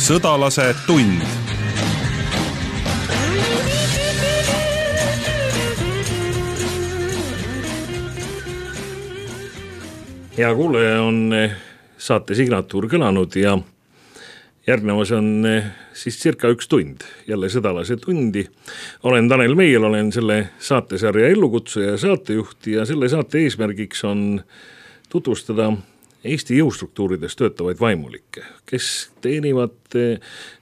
Sõdalase tund. Hea kuulaja, on saate signatuur kõlanud ja järgnevas on siis circa 1 tund, jälle Sõdalase tundi. Olen Tanel Meiel, olen selle saatesarja ellukutsuja ja saatejuht ja selle saate eesmärgiks on tutvustada Eesti jõustruktuurides töötavaid vaimulikke, kes teenivad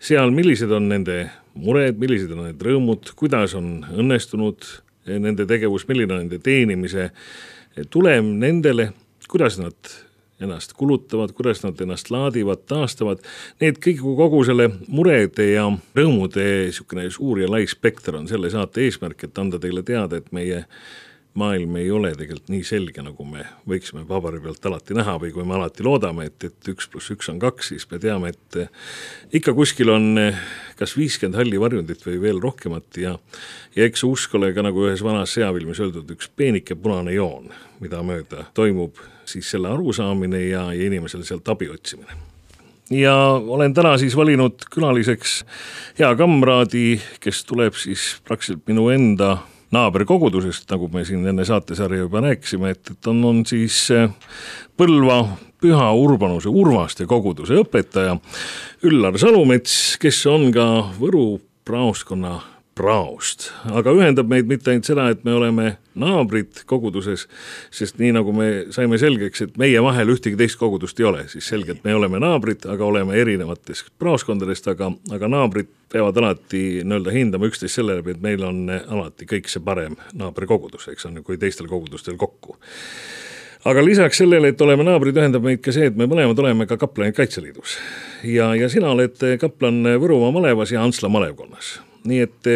seal, millised on nende mured, millised on need rõõmud, kuidas on õnnestunud nende tegevus, milline on nende teenimise tulem nendele, kuidas nad ennast kulutavad, kuidas nad ennast laadivad, taastavad. Need kogu selle murede ja rõõmude suur ja lai spekter on selle saate eesmärk, et anda teile teada, et meie maailm ei ole tegelikult nii selge, nagu me võiksime paberi pealt alati näha või kui me alati loodame, et 1 + 1 on 2, siis me teame, et ikka kuskil on kas 50 halli varjundit või veel rohkemat ja eks usk ole ka nagu ühes vanas sõjafilmis öeldud üks peenike punane joon, mida mööda toimub siis selle arusaamine ja inimesel sealt abi otsimine. Ja olen täna siis valinud külaliseks hea kamraadi, kes tuleb siis praktiliselt minu enda naaberkogudusest, nagu me siin enne saatesarja juba rääkisime, et on siis Põlva Püha Urbanuse Urvaste koguduse õpetaja Üllar Salumets, kes on ka Võru praostkonna praost. Aga ühendab meid mitte ainult seda, et me oleme naabrid koguduses, sest nii nagu me saime selgeks, et meie vahel ühtegi teist kogudust ei ole, siis selgelt me oleme naabrid, aga oleme erinevatest praoskondadest, aga naabrid peavad alati hindama üksteist selle läbi, et meil on alati kõik see parem naaberkogudus, eks on, kui teistel kogudustel kokku. Aga lisaks sellele, et oleme naabrid, ühendab meid ka see, et me mõlemad oleme ka kaplanid Kaitseliidus. Ja sina oled kaplan Võrumaa malevas ja Antsla malevkonnas. Nii et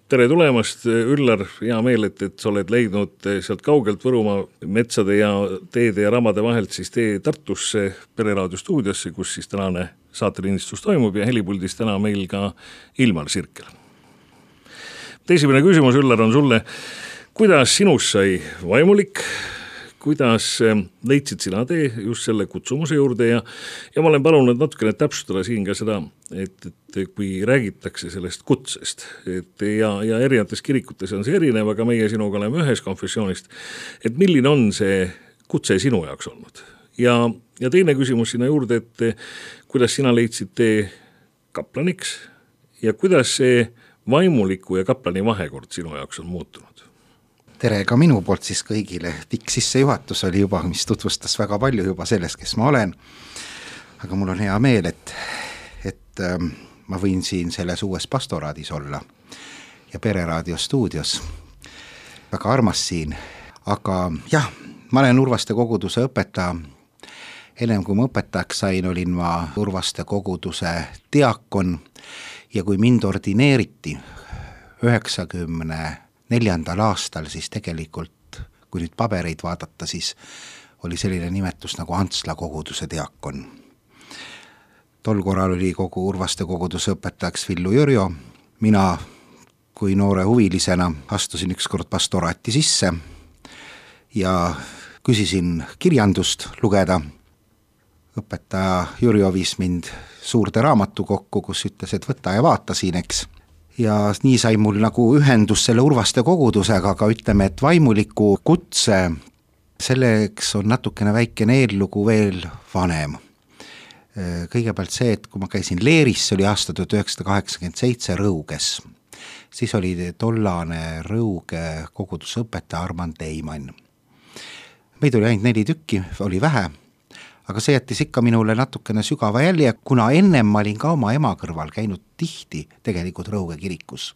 tere tulemast, Üllar, hea meel, et sa oled leidnud sealt kaugelt Võrumaa metsade ja teede ja ramade vahelt siis tee Tartusse Pereraadio stuudiosse, kus siis tänane saatelindistus toimub ja helipuldis täna meil ka Ilmar Sirkel. Esimene küsimus, Üllar, on sulle, kuidas sinust sai vaimulik? Kuidas leidsid sina tee just selle kutsumuse juurde ja ma olen palunud natukene täpsustada siin ka seda, et kui räägitakse sellest kutsest ja erinevates kirikutes on see erinev, aga meie sinuga oleme ühes konfessioonist, et milline on see kutse sinu jaoks olnud? Ja teine küsimus sinna juurde, et kuidas sina leidsid tee kaplaniks ja kuidas see vaimuliku ja kaplani vahekord sinu jaoks on muutunud? Tere ka minu poolt siis kõigile. Pikk sissejuhatus oli juba, mis tutvustas väga palju juba sellest, kes ma olen. Aga mul on hea meel, et ma võin siin selles uues pastoraadis olla ja Pereraadio stuudios. Väga armas siin. Aga jah, ma olen Urvaste koguduse õpetaja. Ennem kui ma õpetajaks sain, olin ma Urvaste koguduse diakon ja kui mind ordineeriti 94. aastal, siis tegelikult, kui nüüd pabereid vaadata, siis oli selline nimetus nagu Antsla koguduse diakon. Tol korral oli kogu Urvaste koguduse õpetajaks Villu Jürjo. Mina kui noore huvilisena astusin ükskord pastoraati sisse ja küsisin kirjandust lugeda. Õpetaja Jürjo viis mind suurde raamatu kokku, kus ütles, et võta ja vaata siin, eks. Ja nii sai mul nagu ühendus selle Urvaste kogudusega, aga ütleme, et vaimuliku kutse, selleks on natukene väikene eellugu veel vanem. Kõigepealt see, et kui ma käisin Leeris, see oli aasta 1987 Rõuges, siis oli tollane Rõuge koguduse õpetaja Armand Eimann. Meid oli ainult 4 tükki, oli vähe, aga see jättis ikka minule natukene sügava jälje, kuna ennem ma olin ka oma ema kõrval käinud tihti tegelikult Rõuge kirikus.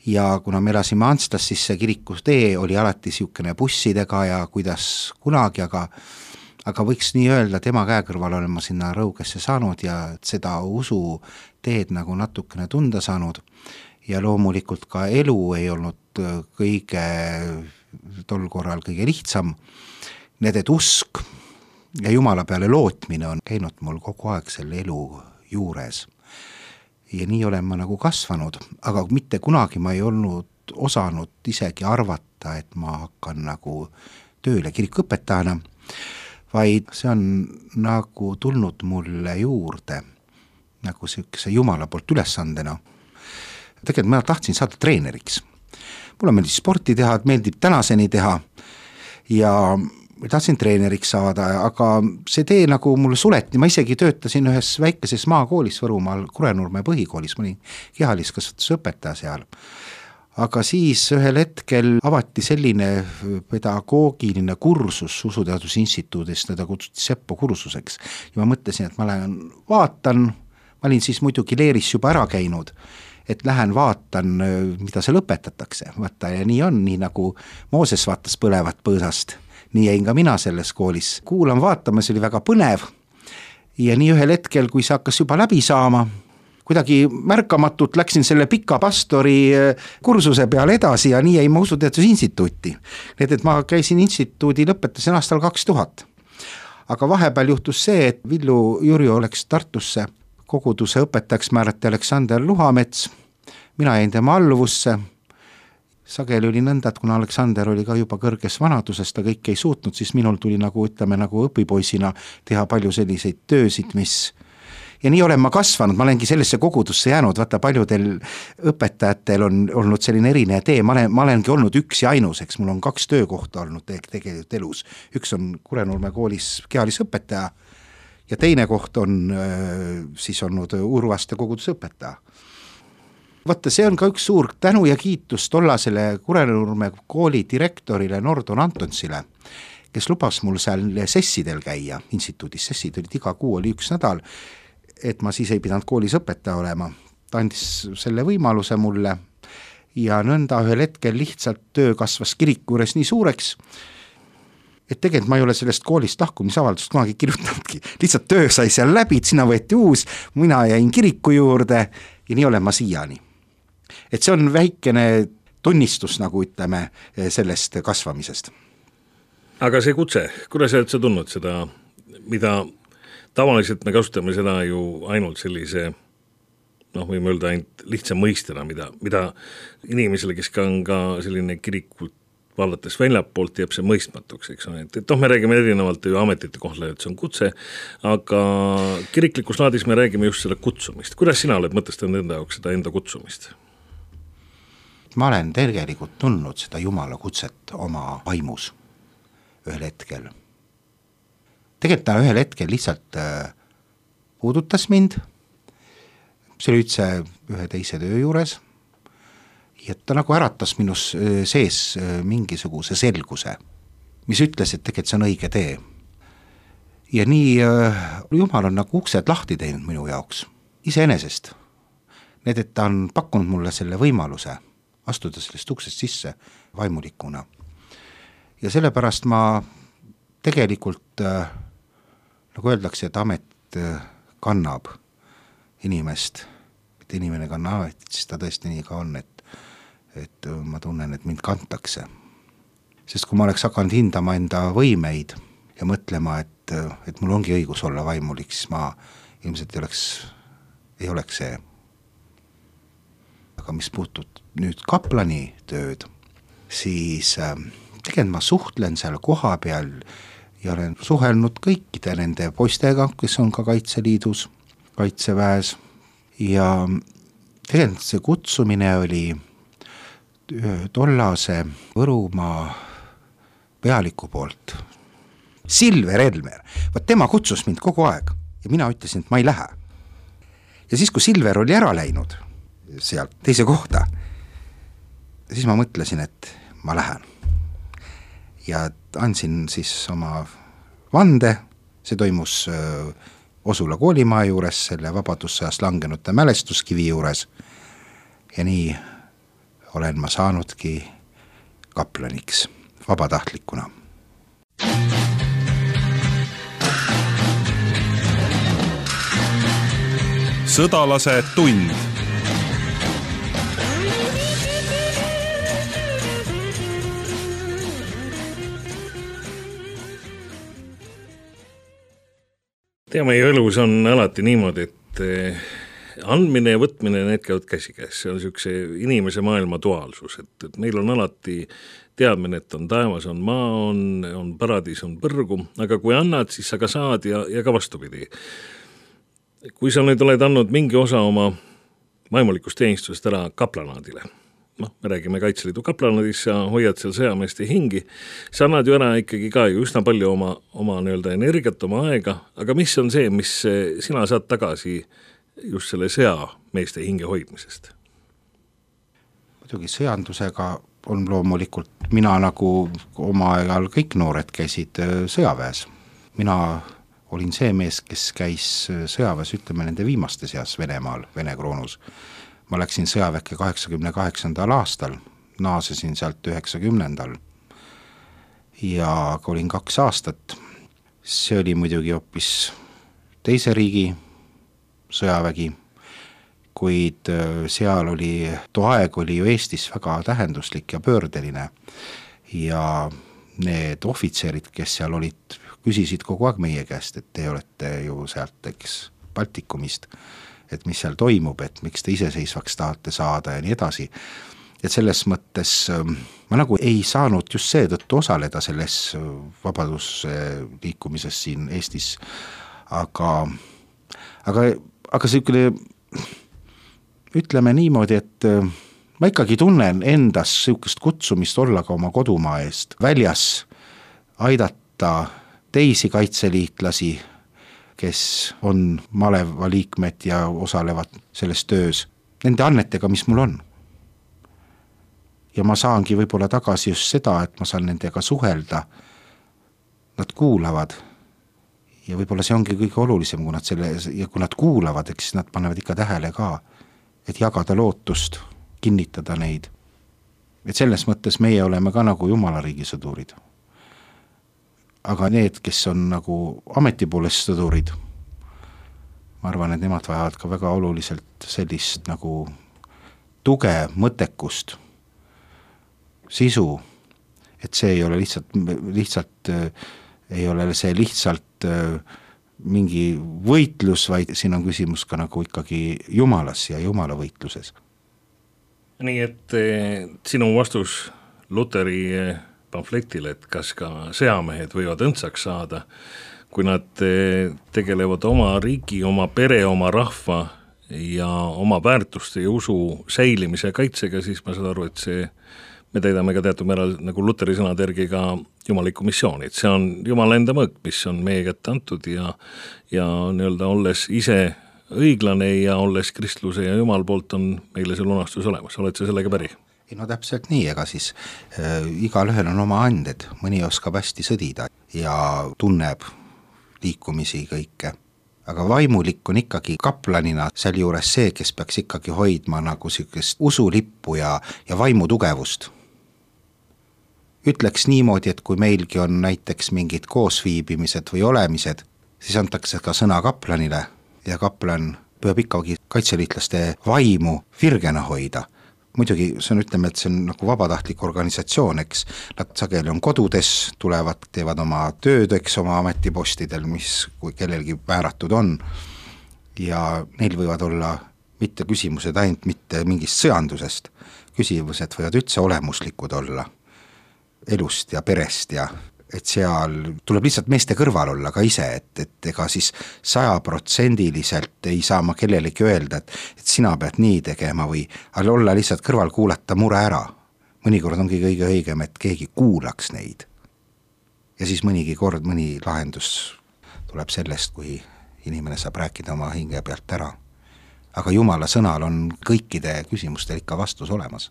Ja kuna me elasime Antslas, siis see kirikus tee oli alati siukene bussidega ja kuidas kunagi, aga võiks nii öelda, tema käe kõrval olen ma sinna Rõugesse saanud ja seda usu teed nagu natukene tunda saanud. Ja loomulikult ka elu ei olnud kõige tol korral kõige lihtsam. Need, et usk ja Jumala peale lootmine on käinud mul kogu aeg selle elu juures. Ja nii olen ma nagu kasvanud, aga mitte kunagi ma ei olnud osanud isegi arvata, et ma hakkan nagu tööle kirikuõpetajana, vaid see on nagu tulnud mulle juurde. nagu siukese jumala poolt ülesandena. Tegelikult ma tahtsin saada treeneriks. Mulle meeldib sporti teha, meeldib tänaseni teha ja tahtsin treeneriks saada, aga see tee nagu mulle suleti, ma isegi töötasin ühes väikeses maakoolis Võrumaal, Kurenurme põhikoolis, ma olin kehaliskasvatusõpetaja seal. Aga siis ühel hetkel avati selline pedagoogiline kursus Usuteadusinstituudist, teda kutsuti Seppo kursuseks ja ma mõtlesin, et ma lähen vaatan, ma olin siis muidugi Leeris juba ära käinud, et lähen vaatan, mida seal õpetatakse, vaata ja nii on, nii nagu Mooses vaatas põlevat põõsast. Nii jäin ka mina selles koolis. Kuulan vaatama, see oli väga põnev ja nii ühel hetkel, kui see hakkas juba läbi saama, kuidagi märkamatult läksin selle pika pastori kursuse peale edasi ja nii jäin ma Usuteadusinstituuti. Need, et ma käisin instituudi, lõpetasin aastal 2000. Aga vahepeal juhtus see, et Villu Jurjo läks Tartusse, koguduse õpetajaks määrati Aleksander Luhamets, mina jäin tema alluvusse. Sageli oli nõnda, et kuna Aleksander oli ka juba kõrges vanaduses, ta kõik ei suutnud, siis minul tuli nagu õpipoisina teha palju selliseid töösid, mis ja nii olen ma kasvanud, ma olengi sellesse kogudusse jäänud, vaata paljudel õpetajatel on olnud selline erinev tee, ma olengi olnud üks ja ainus, eks mul on 2 töökohta olnud tegelikult elus. Üks on Kurenurme koolis kehalisõpetaja ja teine koht on siis olnud Urvaste koguduse õpetaja. Vaata, see on ka üks suur tänu ja kiitus tollasele Kurenurme kooli direktorile Nordon Antonsile, kes lubas mul seal sessidel käia, instituudis sessid olid iga kuu, oli 1 nädal, et ma siis ei pidanud koolis õpetaja olema. Ta andis selle võimaluse mulle ja nõnda ühel hetkel lihtsalt töö kasvas kiriku juures nii suureks, et tegelikult ma ei ole sellest koolist lahkumisavaldust kunagi kirjutanudki. Lihtsalt töö sai seal läbi, sinna võeti uus, mina jäin kiriku juurde ja nii olen ma siiani. Et see on väikene tunnistus, nagu ütleme, sellest kasvamisest. Aga see kutse, kuidas sa tundnud seda, mida tavaliselt me kasutame seda ju ainult sellise, võime öelda ainult lihtsa mõistena, mida inimesele, kes on ka selline kirikult vaadates väljapoolt, jääb see mõistmatuks, eks on, et me räägime erinevalt ju ametite kohta, et see on kutse, aga kiriklikus laadis me räägime just seda kutsumist. Kuidas sina oled mõtestanud enda jaoks seda enda kutsumist? Ma olen tegelikult tundnud seda Jumala kutset oma vaimus ühel hetkel. Tegelikult ta ühel hetkel lihtsalt puudutas mind, see oli üldse ühe teise töö juures, ja ta nagu äratas minus sees mingisuguse selguse, mis ütles, et tegelikult see on õige tee. Ja nii Jumal on nagu uksed lahti teinud minu jaoks, iseenesest. Need, et ta on pakkunud mulle selle võimaluse astuda sellest uksest sisse vaimulikuna. Ja sellepärast ma tegelikult, nagu öeldakse, et amet kannab inimest, et inimene kannab amet, siis ta tõesti nii ka on, et ma tunnen, et mind kantakse. Sest kui ma oleks hakanud hindama enda võimeid ja mõtlema, et mul ongi õigus olla vaimulik, siis ma ilmselt ei oleks see. Aga mis puutub nüüd kaplani tööd, siis tegelikult ma suhtlen seal koha peal ja olen suhelnud kõikide nende poistega, kes on ka Kaitseliidus, Kaitseväes ja tegelikult see kutsumine oli tollase Võrumaa pealiku poolt. Silver Elmer, vaat tema kutsus mind kogu aeg ja mina ütlesin, et ma ei lähe. Ja siis, kui Silver oli ära läinud sealt teise kohta, siis ma mõtlesin, et ma lähen. Ja andsin siis oma vande, see toimus Osula koolimaa juures, selle vabadussõjast langenute mälestuskivi juures ja nii olen ma saanudki kaplaniks vabatahtlikuna. Sõdalase tund. Meie elus on alati niimoodi, et andmine ja võtmine, need käivad käsikäes, see on niisuguse inimese maailma duaalsus, et meil on alati teadmine, et on taevas, on maa, on paradiis, on põrgu, aga kui annad, siis sa ka saad ja ka vastupidi. kui sa nüüd oled andnud mingi osa oma vaimulikust teenistusest ära kaplanaadile, me räägime Kaitseliidu kaplanaadis, sa hoiad seal sõjameeste hingi, sa annad ju ära ikkagi ka ju üsna palju oma nii-öelda energiat, oma aega, aga mis on see, mis sina saad tagasi just selle sõjameeste hinge hoidmisest? Muidugi sõjandusega on loomulikult, mina nagu oma ajal kõik noored käisid sõjaväes. Mina olin see mees, kes käis sõjaväes, ütleme nende viimaste seas Venemaal, Vene kroonus. Ma läksin sõjaväkke 88. aastal, naasesin sealt 90. ja olin 2 aastat. See oli muidugi hoopis teise riigi sõjavägi, kuid seal oli, too aeg oli ju Eestis väga tähenduslik ja pöördeline ja need ohvitserid, kes seal olid, küsisid kogu aeg meie käest, et te olete ju sealt, eks, Baltikumist, et mis seal toimub, et miks te iseseisvaks tahate saada ja nii edasi. Et selles mõttes ma nagu ei saanud just seetõttu osaleda selles vabadusliikumises siin Eestis, aga selline, ütleme niimoodi, et ma ikkagi tunnen endas sihukest kutsumist olla ka oma kodumaa eest väljas, aidata teisi kaitseliitlasi, kes on maleva liikmed ja osalevad selles töös, nende annetega, mis mul on. Ja ma saangi võib-olla tagasi just seda, et ma saan nendega suhelda, nad kuulavad ja võib-olla see ongi kõige olulisem, kui nad kuulavad, eks nad panevad ikka tähele ka, et jagada lootust, kinnitada neid. Et selles mõttes meie oleme ka nagu Jumalariigi sõdurid. Aga need, kes on nagu ametipoolest sõdurid, ma arvan, et nemad vajavad ka väga oluliselt sellist nagu tuge, mõttekust, sisu, et see ei ole lihtsalt ei ole see lihtsalt mingi võitlus, vaid siin on küsimus ka nagu ikkagi Jumalas ja Jumala võitluses. Nii et sinu vastus Luteri pamfletile, et kas ka sõjamehed võivad õndsaks saada, kui nad tegelevad oma riigi, oma pere, oma rahva ja oma väärtuste ja usu säilimise kaitsega, siis ma saan aru, et me täidame ka teatud määral nagu Luteri sõnade järgi ka jumalikku missiooni, et see on Jumala enda mõõk, mis on meie kätte antud ja nii-öelda olles ise õiglane ja olles kristluse ja Jumal poolt on meile see lunastus olemas. Oled sa sellega päri? No täpselt nii, ega siis igalühel on oma anded, mõni oskab hästi sõdida ja tunneb liikumisi kõike. Aga vaimulik on ikkagi kaplanina seal juures see, kes peaks ikkagi hoidma nagu sihukest usulippu ja vaimu tugevust. Ütleks niimoodi, et kui meilgi on näiteks mingid koosviibimised või olemised, siis antakse ka sõna kaplanile ja kaplan peab ikkagi kaitseliitlaste vaimu virgena hoida. Muidugi see on, ütleme, et see on nagu vabatahtlik organisatsioon, eks nad sageli on kodudes, tulevad, teevad oma tööd, eks oma ametipostidel, mis kui kellelgi määratud on ja neil võivad olla mitte küsimused ainult mitte mingist sõjandusest, küsimused võivad üldse olemuslikud olla elust ja perest ja et seal tuleb lihtsalt meeste kõrval olla ka ise, et ega siis 100% ei saa ma kellelegi öelda, et sina pead nii tegema või olla lihtsalt kõrval, kuulata mure ära. Mõnikord ongi kõige õigem, et keegi kuulaks neid. Ja siis mõnigi kord, mõni lahendus tuleb sellest, kui inimene saab rääkida oma hinge pealt ära. Aga Jumala sõnal on kõikide küsimustel ikka vastus olemas.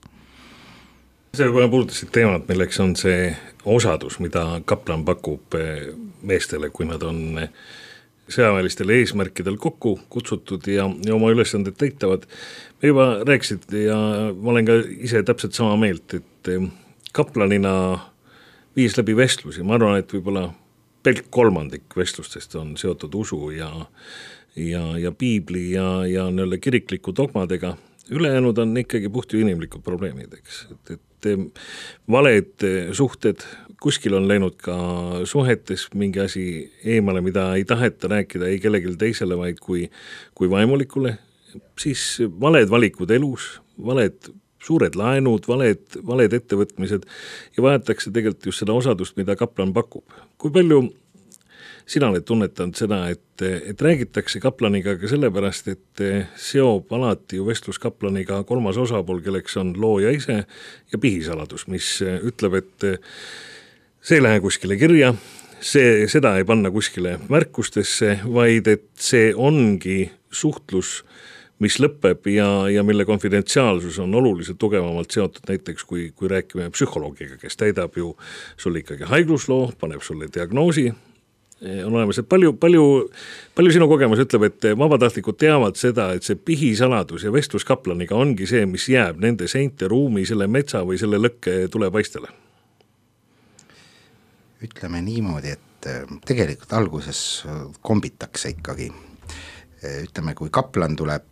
See juba puudutasid teemat, milleks on see osadus, mida kaplan pakub meestele, kui nad on sõjaväelistele eesmärkidel kokku kutsutud ja oma ülesanded täitavad. Me juba rääkisid ja ma olen ka ise täpselt sama meelt, et kaplanina viis läbi vestlusi. Ma arvan, et võib-olla pelk 3% vestlustest on seotud usu ja piibli ja nii-öelda kirikliku dogmadega. Ülejäänud on ikkagi puht ju inimlikud probleemid, eks. Et valed suhted, kuskil on läinud ka suhetes mingi asi eemale, mida ei taheta rääkida ei kellelgi teisele, vaid kui vaimulikule, siis valed valikud elus, valed suured laenud, valed ettevõtmised ja vajatakse tegelikult just seda osadust, mida kaplan pakub. Kui palju sina oled tunnetanud seda, et räägitakse kaplaniga ka sellepärast, et seob alati ju vestlus kaplaniga kolmas osapool, kelleks on looja ise ja pihisaladus, mis ütleb, et see ei lähe kuskile kirja, seda ei panna kuskile märkustesse, vaid et see ongi suhtlus, mis lõpeb ja mille konfidentsiaalsus on oluliselt tugevamalt seotud näiteks, kui rääkime psühholoogiga, kes täidab ju sulle ikkagi haigusloo, paneb sulle diagnoosi, on olemas, et palju sinu kogemus ütleb, et vabatahtlikud teavad seda, et see pihisaladus ja vestlus kaplaniga ongi see, mis jääb nende seinte ruumi, selle metsa või selle lõkke tulepaistele? Ütleme niimoodi, et tegelikult alguses kombitakse ikkagi. Ütleme, kui kaplan tuleb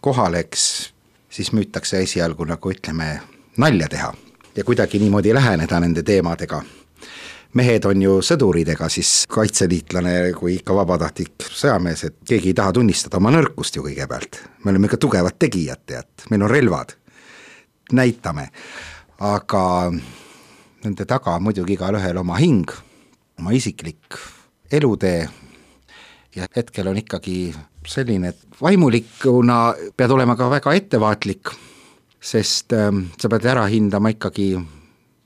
kohale, siis müütakse esialgu nagu ütleme nalja teha ja kuidagi niimoodi läheneda nende teemadega. Mehed on ju sõduridega, siis kaitseliitlane kui ikka vabatahtlik sõjamees, et keegi ei taha tunnistada oma nõrkust ju kõigepealt. Me oleme ikka tugevad tegijad, tead, meil on relvad, näitame, aga nende taga muidugi igal ühel oma hing, oma isiklik elutee ja hetkel on ikkagi selline, et vaimulikuna pead olema ka väga ettevaatlik, sest sa pead ära hindama ikkagi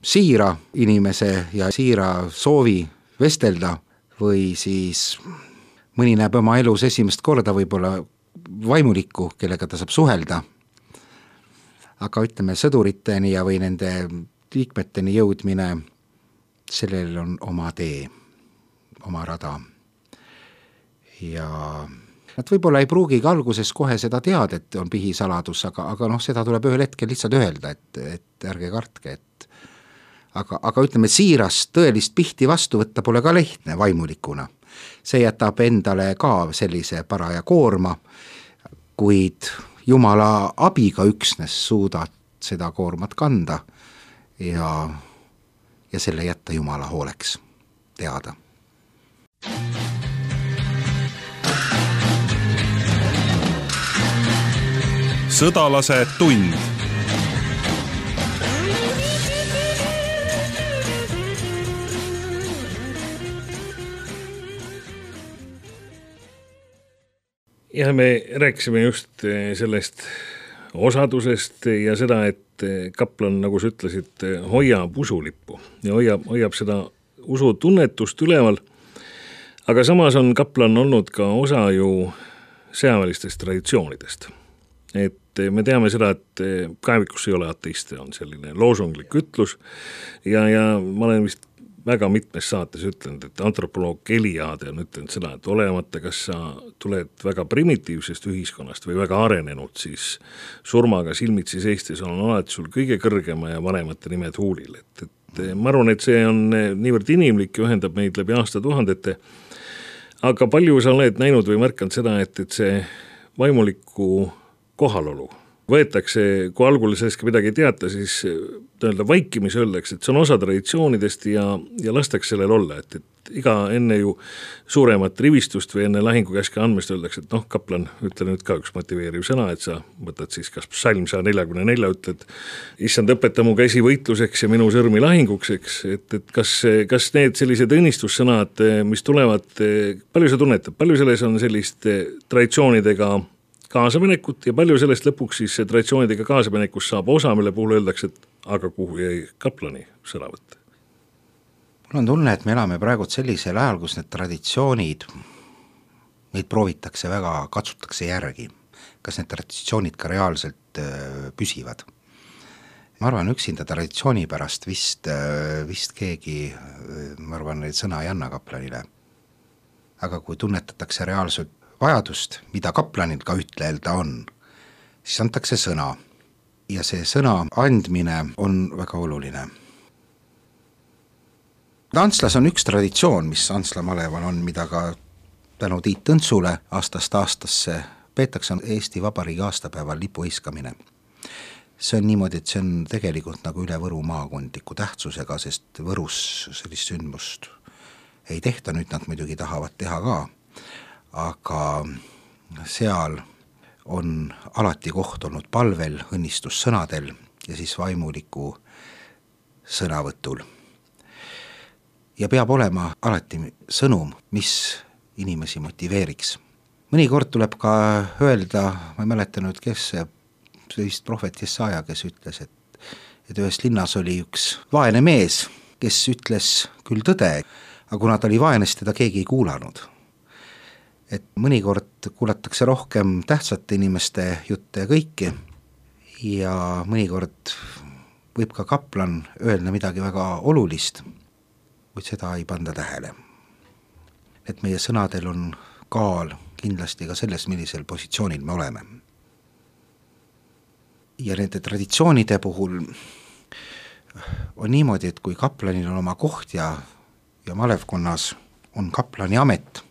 siira inimese ja siira soovi vestelda või siis mõni näeb oma elus esimest korda võib-olla vaimulikku, kellega ta saab suhelda. Aga ütleme sõduriteni ja või nende liikmeteni jõudmine, sellel on oma tee, oma rada. Ja nad võib-olla ei pruugigi alguses kohe seda teada, et on pihisaladus, aga seda tuleb ühel hetkel lihtsalt öelda, et ärge kartke, aga ütleme, siirast tõelist pihti vastu võtta pole ka lehtne vaimulikuna. See jätab endale ka sellise paraja koorma, kuid Jumala abiga üksnes suudad seda koormat kanda ja selle jätta Jumala hooleks teada. Sõdalase tund. Ja me rääkisime just sellest osadusest ja seda, et kaplan, nagu sa ütlesid, hoiab usulippu ja hoiab seda usutunnetust üleval, aga samas on kaplan olnud ka osa ju sõjaväelistest traditsioonidest. Et me teame seda, et kaevikus ei ole ateiste, on selline loosunglik ütlus ja ma olen vist väga mitmes saates ütlenud, et antropoloog Eliade on ütlenud seda, et olemata, kas sa tuled väga primitiivsest ühiskonnast või väga arenenud, siis surmaga silmitsi seistes on alati sul kõige kõrgema ja vanemate nimed huulil. Et ma arvan, et see on niivõrd inimlik ja ühendab meid läbi aastatuhandete, aga palju sa oled näinud või märkanud seda, et see vaimuliku kohalolu võetakse, kui algul sellest midagi ei teata, siis vaikimis öeldakse, et see on osa traditsioonidest ja lastakse sellel olla, et iga enne ju suuremat rivistust või enne lahingukäske andmist öeldakse, et kaplan, ütle nüüd ka üks motiveeriv sõna, et sa võtad siis kas psalm 144, ütled, issand, õpeta mu käsi võitluseks ja minu sõrmi lahinguks, eks, et kas need sellised õnnistussõnad, mis tulevad, palju sa tunnetad, palju selles on sellist traditsioonidega kaasaminekut ja palju sellest lõpuks siis traditsioonidega kaasaminekust saab osa, mille puhul öeldakse, et aga kuhu jäi kaplani sõnavõtt? Mul on tunne, et me elame praegu sellisel ajal, kus need traditsioonid, neid proovitakse väga, katsutakse järgi. Kas need traditsioonid ka reaalselt püsivad? Ma arvan, üksinda traditsiooni pärast vist keegi, ma arvan, neid sõna ei anna kaplanile. Aga kui tunnetatakse reaalselt vajadust, mida kaplanil ka ütlelda on, siis antakse sõna ja see sõna andmine on väga oluline. Antslas on üks traditsioon, mis Antsla maleval on, mida ka tänu Tiit Tõntsule aastast aastasse peetakse, on Eesti Vabariigi aastapäeval lipu heiskamine. See on niimoodi, et see on tegelikult nagu üle Võru maakondliku tähtsusega, sest Võrus sellist sündmust ei tehta, nüüd nad muidugi tahavad teha ka, aga seal on alati koht olnud palvel, õnnistussõnadel ja siis vaimuliku sõnavõtul. ja peab olema alati sõnum, mis inimesi motiveeriks. Mõnikord tuleb ka öelda, ma ei mäleta nüüd, kes see vist prohvet Jesaja, kes ütles, et ühes linnas oli üks vaene mees, kes ütles küll tõde, aga kuna ta oli vaene, siis teda keegi ei kuulanud. Et mõnikord kuulatakse rohkem tähtsate inimeste jutte ja kõiki ja mõnikord võib ka kaplan öelda midagi väga olulist, kuid seda ei panda tähele. Et meie sõnadel on kaal kindlasti ka selles, millisel positsioonil me oleme. Ja nende traditsioonide puhul on niimoodi, et kui kaplanil on oma koht ja malevkonnas on kaplani amet,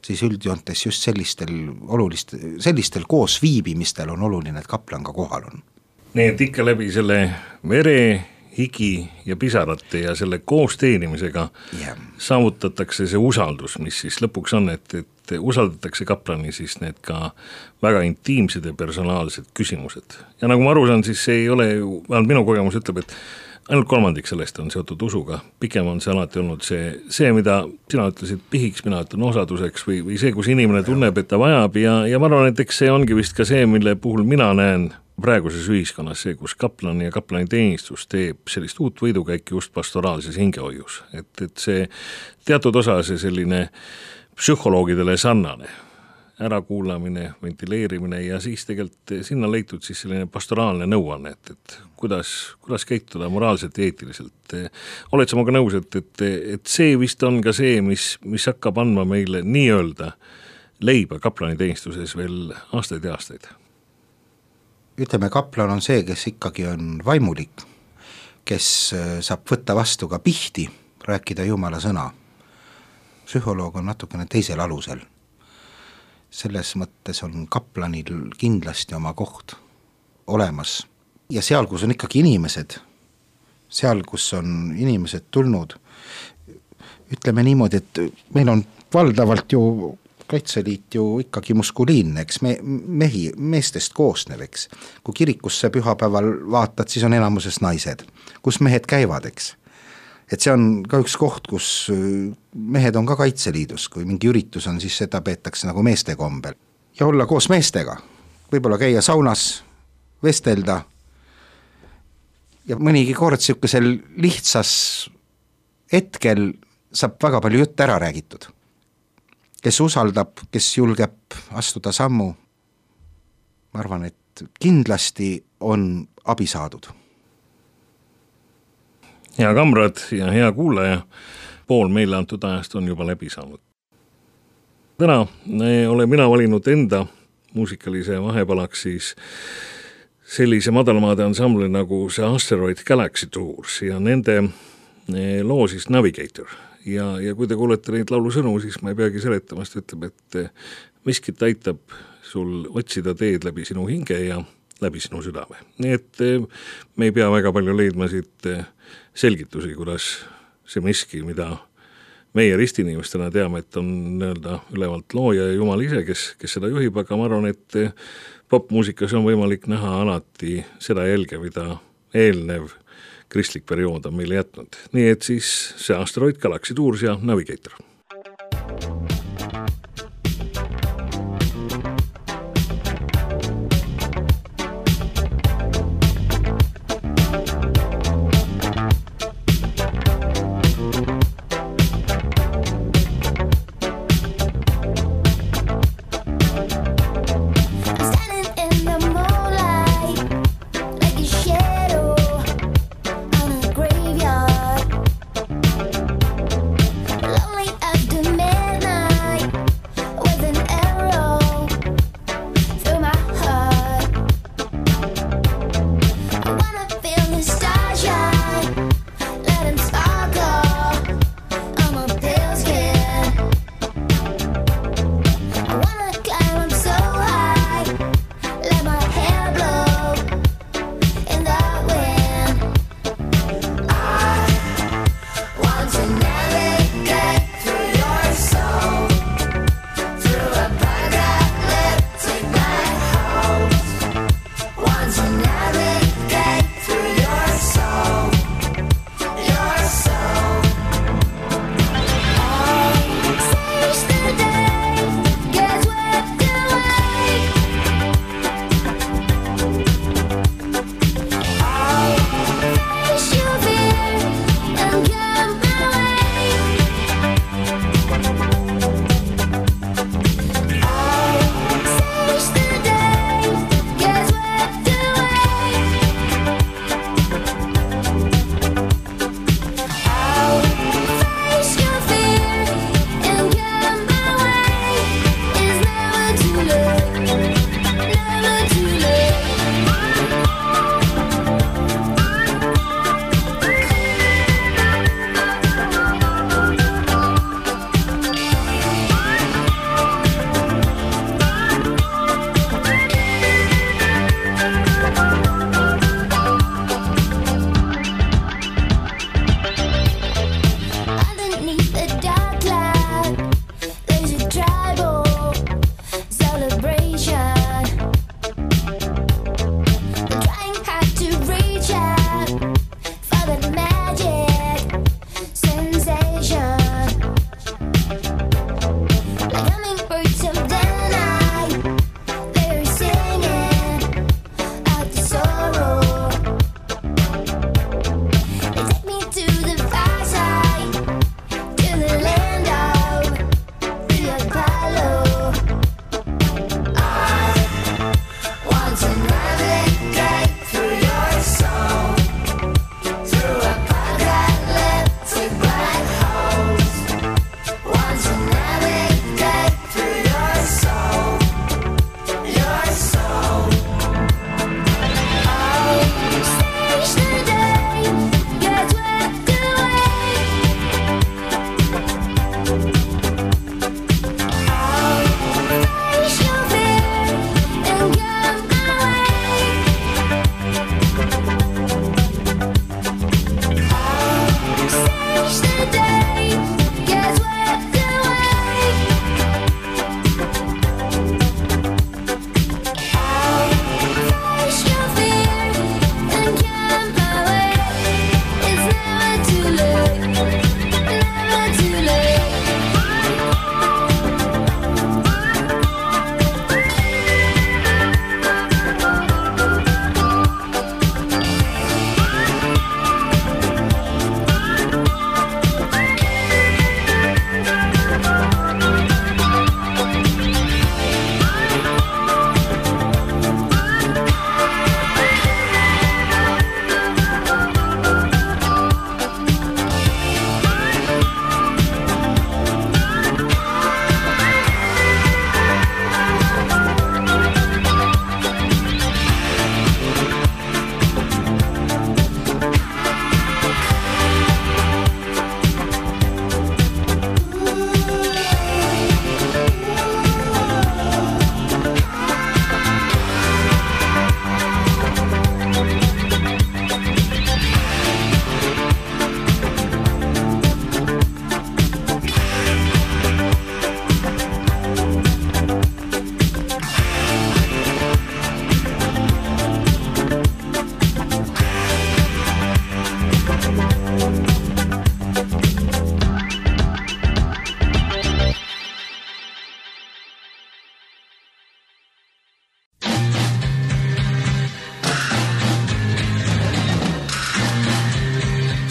siis üldjoontes just sellistel koos viibimistel on oluline, et kaplan ka kohal on. Nii et ikka läbi selle vere, higi ja pisarate ja selle koos teenimisega saavutatakse see usaldus, mis siis lõpuks on, et usaldatakse kaplani siis need ka väga intiimsed ja personaalsed küsimused. Ja nagu ma aru saan, siis see ei ole ju, vähemalt minu kogemus ütleb, et ainult 3% sellest on seotud usuga. Pikem on see alati olnud see, mida sina ütlesid pihiks, mina ütlen osaduseks või see, kus inimene tunneb, et ta vajab ja ma arvan, et eks see ongi vist ka see, mille puhul mina näen praeguses ühiskonnas see, kus kaplan ja kaplani teenistus teeb sellist uut võidukäiki just pastoraalses hingehoius. Et see teatud osa see selline psühholoogidele sarnane ärakuulamine, ventileerimine ja siis tegelikult sinna leitud siis selline pastoraalne nõuanne, et kuidas käituda moraalselt ja eetiliselt. Oled sa maga nõus, et see vist on ka see, mis hakkab andma meile nii-öelda leiba kaplani teenistuses veel aastaid ja aastaid? Ütleme, kaplan on see, kes ikkagi on vaimulik, kes saab võtta vastu ka pihti, rääkida Jumala sõna. Psühholoog on natukene teisel alusel. Selles mõttes on kaplanil kindlasti oma koht olemas. Ja seal, kus on ikkagi inimesed, seal, kus on inimesed tulnud, ütleme niimoodi, et meil on valdavalt ju Kaitseliit ju ikkagi muskuliinne, eks meestest koosnev, eks. Kui kirikusse pühapäeval vaatad, siis on enamuses naised, kus mehed käivad, eks. Et see on ka üks koht, kus mehed on ka Kaitseliidus, kui mingi üritus on, siis seda peetakse nagu meeste kombel. Ja olla koos meestega, võib-olla käia saunas, vestelda ja mõnigi kord siukesel lihtsas hetkel saab väga palju jutt ära räägitud. Kes usaldab, kes julgeb astuda sammu, ma arvan, et kindlasti on abi saadud. Hea kamrad ja hea kuulaja, pool meile antud ajast on juba läbi saanud. Täna olen mina valinud enda muusikalise vahepalaks siis sellise madalmaade ansambli nagu see Asteroid Galaxy Tours ja nende loo siis Navigator. Ja kui te kuulete neid laulu sõnu, siis ma ei peagi seletamast, ütleb, et miskit aitab sul otsida teed läbi sinu hinge ja läbi sinu südame. Nii et me ei pea väga palju leidma siit selgitusi, kuidas see miski, mida meie ristinimestena teame, et on nii-öelda ülevalt looja ja Jumal ise, kes seda juhib, aga ma arvan, et popmuusikas on võimalik näha alati seda jälge, mida eelnev kristlik periood on meile jätnud. Nii et siis see Asteroid Galaxy Tours ja Navigator. Lonely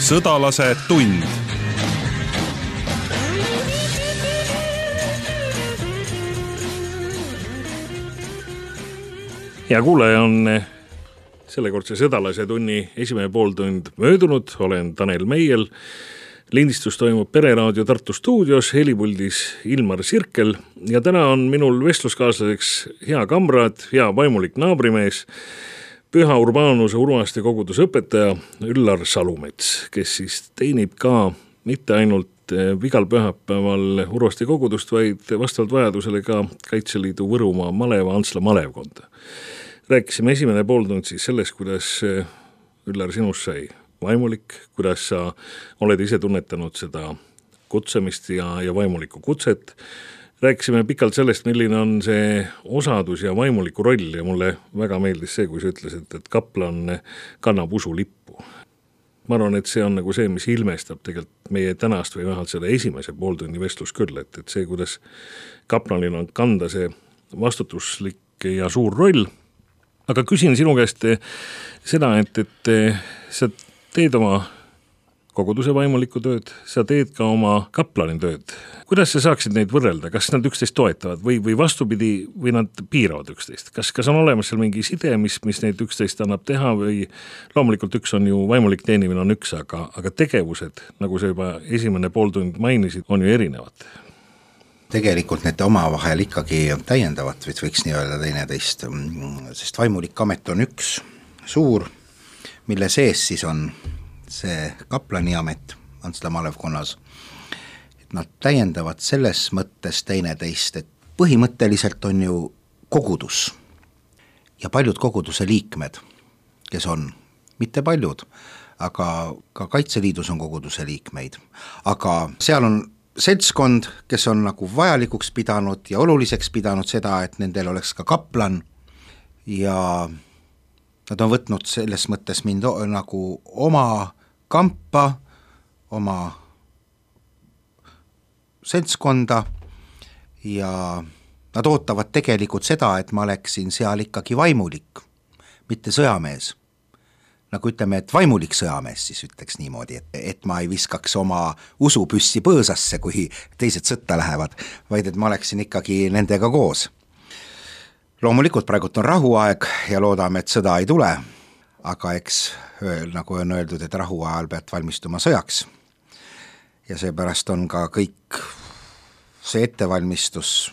Sõdalase tund. Ja kuulaja on sellekordse Sõdalase tunni esimene pooltund möödunud, olen Tanel Meiel. Lindistus toimub Pereraadio Tartu stuudios, helipuldis Ilmar Sirkel ja täna on minul vestluskaaslaseks hea kamraad, hea vaimulik naabrimees, Püha Urbanuse Urvaste koguduse õpetaja Üllar Salumets, kes siis teenib ka mitte ainult igal pühapäeval Urvaste kogudust, vaid vastavalt vajadusele ka Kaitseliidu Võrumaa maleva Antsla malevkonda. Rääkisime esimene pooltund siis sellest, kuidas Üllar sinust sai vaimulik, kuidas sa oled ise tunnetanud seda kutsemist ja vaimulikku kutset. Rääkisime pikalt sellest, milline on see osadus ja vaimuliku roll ja mulle väga meeldis see, kui sa ütlesid, et kaplan kannab usulippu. Ma arvan, et see on nagu see, mis ilmestab tegelikult meie tänast või vähemalt selle esimese pooltunni vestlus küll, et see, kuidas kaplanil on kanda see vastutuslik ja suur roll. Aga küsin sinu käest seda, et sa teed oma koguduse vaimulikku tööd, sa teed ka oma kaplani tööd. Kuidas sa saaksid neid võrrelda? Kas nad üksteist toetavad või vastupidi või nad piiravad üksteist? Kas on olemas seal mingi side, mis neid üksteist annab teha või loomulikult üks on ju vaimulik teenimine on üks, aga tegevused, nagu sa juba esimene pooltund mainisid, on ju erinevad? Tegelikult need omavahel ikkagi täiendavad, võiks nii öelda teineteist, sest vaimulik amet on üks suur, mille sees siis on see kaplani amet Antsla malevkonnas. Et nad täiendavad selles mõttes teineteist, et põhimõtteliselt on ju kogudus ja paljud koguduse liikmed, kes on, mitte paljud, aga ka Kaitseliidus on koguduse liikmeid, aga seal on seltskond, kes on nagu vajalikuks pidanud ja oluliseks pidanud seda, et nendel oleks ka kaplan ja nad on võtnud selles mõttes mind nagu oma kampa, oma seltskonda ja nad ootavad tegelikult seda, et ma oleksin seal ikkagi vaimulik, mitte sõjamees. Nagu ütleme, et vaimulik sõjamees siis ütleks niimoodi, et ma ei viskaks oma usupüssi põõsasse, kui teised sõtta lähevad, vaid et ma oleksin ikkagi nendega koos. Loomulikult praegult on rahuaeg ja loodame, et sõda ei tule, aga eks nagu on öeldud, et rahuajal pead valmistuma sõjaks ja seepärast on ka kõik see ettevalmistus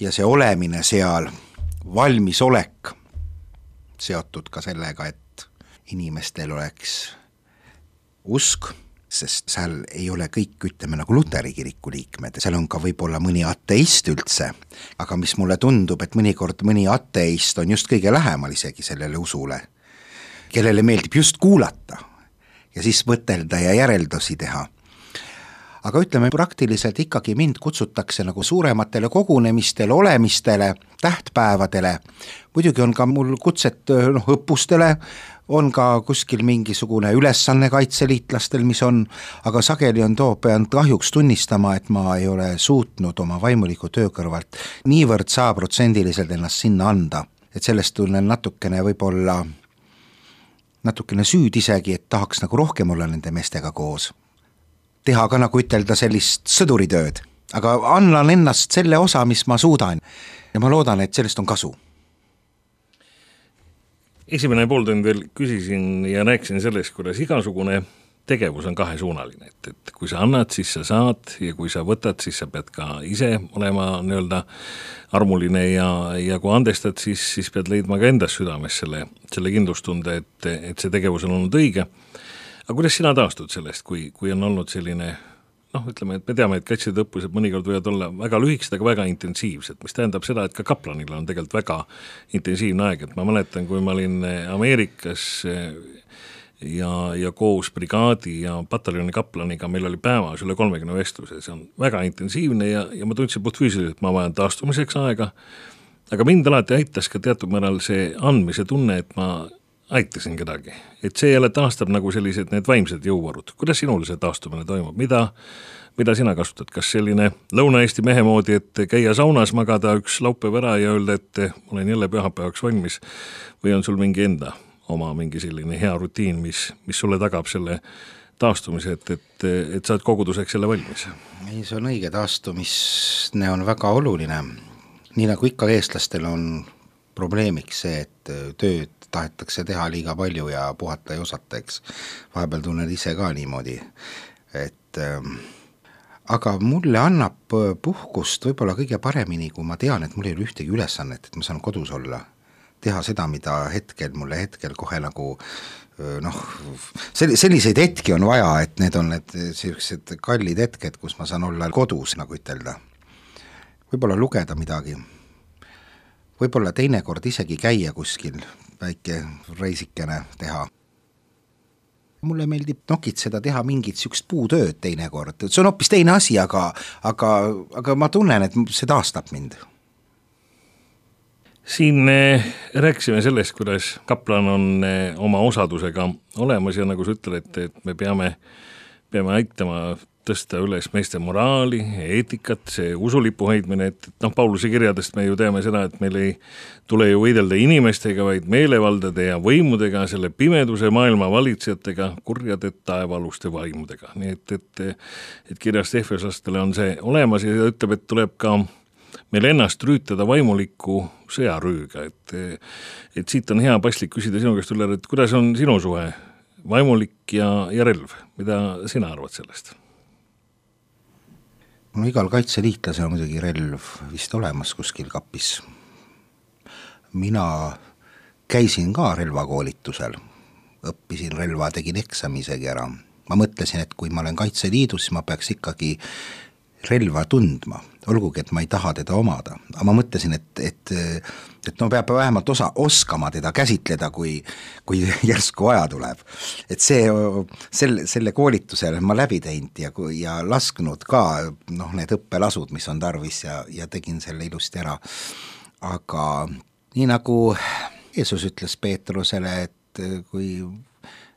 ja see olemine seal, valmisolek seotud ka sellega, et inimestel oleks usk, sest seal ei ole kõik, ütleme, nagu Luteri kiriku liikmed, seal on ka võib-olla mõni ateist üldse, aga mis mulle tundub, et mõnikord mõni ateist on just kõige lähemal isegi sellele usule, kellele meeldib just kuulata ja siis mõtelda ja järeldusi teha. Aga ütleme, praktiliselt ikkagi mind kutsutakse nagu suurematele kogunemistele, olemistele, tähtpäevadele, muidugi on ka mul kutset õppustele, on ka kuskil mingisugune ülesanne kaitseliitlastel, mis on, aga sageli pean kahjuks tunnistama, et ma ei ole suutnud oma vaimuliku töö kõrvalt niivõrd 100% ennast sinna anda, et sellest tunnen natukene võib-olla natukene süüd isegi, et tahaks nagu rohkem olla nende meestega koos. Teha ka nagu ütelda sellist sõduritööd, aga annan ennast selle osa, mis ma suudan ja ma loodan, et sellest on kasu. Esimene pooltund veel küsisin ja rääkisin sellest, kuidas igasugune tegevus on kahesuunaline, et kui sa annad, siis sa saad ja kui sa võtad, siis sa pead ka ise olema nii-öelda armuline ja kui andestad, siis pead leidma ka endas südames selle kindlustunde, et see tegevus on olnud õige. Aga kuidas sina taastud sellest, kui on olnud selline, ütleme, et me teame, et kaitseliidu õppused mõnikord võivad olla väga lühikesed, aga väga intensiivsed, mis tähendab seda, et ka kaplanil on tegelikult väga intensiivne aeg, et ma mäletan, kui ma olin Ameerikas ja koos brigaadi ja pataljoni kaplaniga meil oli päevas üle 30 vestluse, see on väga intensiivne ja ma tundsin puhtfüüsiliselt, et ma vajan taastumiseks aega, aga mind alati aitas ka teatud määral see andmise tunne, et ma aitasin kedagi, et see jälle taastab nagu sellised need vaimsed jõuvarud. Kuidas sinul see taastumine toimub? Mida sina kasutad? Kas selline Lõuna-Eesti mehe moodi, et käia saunas, magada üks laupäev ära ja öelda, et olen jälle pühapäevaks valmis või on sul mingi enda oma mingi selline hea rutiin, mis sulle tagab selle taastumise, et sa oled koguduseks jälle valmis? Ei, see on õige, taastumine on väga oluline. Nii nagu ikka eestlastel on probleemiks see, et tööd tahetakse teha liiga palju ja puhata ei osata, eks. Vahepeal tunnen ise ka niimoodi, et aga mulle annab puhkust võib-olla kõige paremini, kui ma tean, et mul ei ole ühtegi ülesannet, et ma saan kodus olla, teha seda, mida mulle hetkel kohe nagu selliseid hetki on vaja, et need on need sellised kallid hetked, kus ma saan olla kodus, nagu ütelda. Võib-olla lugeda midagi, võib-olla teinekord isegi käia kuskil, väike reisikene teha. Mulle meeldib nokitseda, teha mingit sükst puutööd teinekord, see on hoopis teine asi, aga ma tunnen, et see taastab mind. Siin rääkisime sellest, kuidas kaplan on oma osadusega olemas ja nagu sa ütled, et me peame aitama tõsta üles meeste moraali, eetikat, see usulipu hoidmine, et Pauluse kirjadest me ju teame seda, et meil ei tule ju võidelda inimestega, vaid meelevaldade ja võimudega, selle pimeduse maailma valitsejatega, kurjade taevaaluste vaimudega. Nii et kirjast Efeslastele on see olemas ja ütleb, et tuleb ka meil ennast rüütada vaimuliku sõjarüüga, et siit on hea paslik küsida sinu käest üle, et kuidas on sinu suhe vaimulik ja relv, mida sina arvad sellest? No igal kaitseliitlasel on muidugi relv vist olemas kuskil kapis. Mina käisin ka relvakoolitusel, õppisin relva, tegin eksami isegi ära. Ma mõtlesin, et kui ma olen Kaitseliidus, siis ma peaks ikkagi relva tundma, olgugi, et ma ei taha teda omada. Aga ma mõtlesin, et peab vähemalt oskama teda käsitleda, kui järsku aja tuleb. Et selle koolitusele ma läbi teinud ja lasknud ka need õppelasud, mis on tarvis ja tegin selle ilusti ära. Aga nii nagu Jeesus ütles Peetrusele,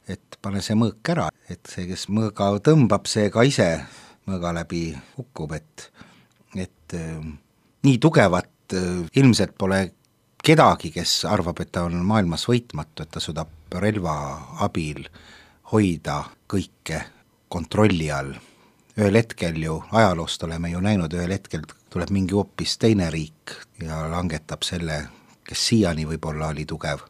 et pane see mõõk ära, et see, kes mõõga tõmbab, see ka ise mõõga läbi hukkub, et nii tugevat ilmselt pole kedagi, kes arvab, et ta on maailmas võitmatu, et ta suudab relva abil hoida kõike kontrolli all. Ühel hetkel ju, ajaloost oleme ju näinud, ühel hetkel tuleb mingi hoopis teine riik ja langetab selle, kes siiani võib-olla oli tugev.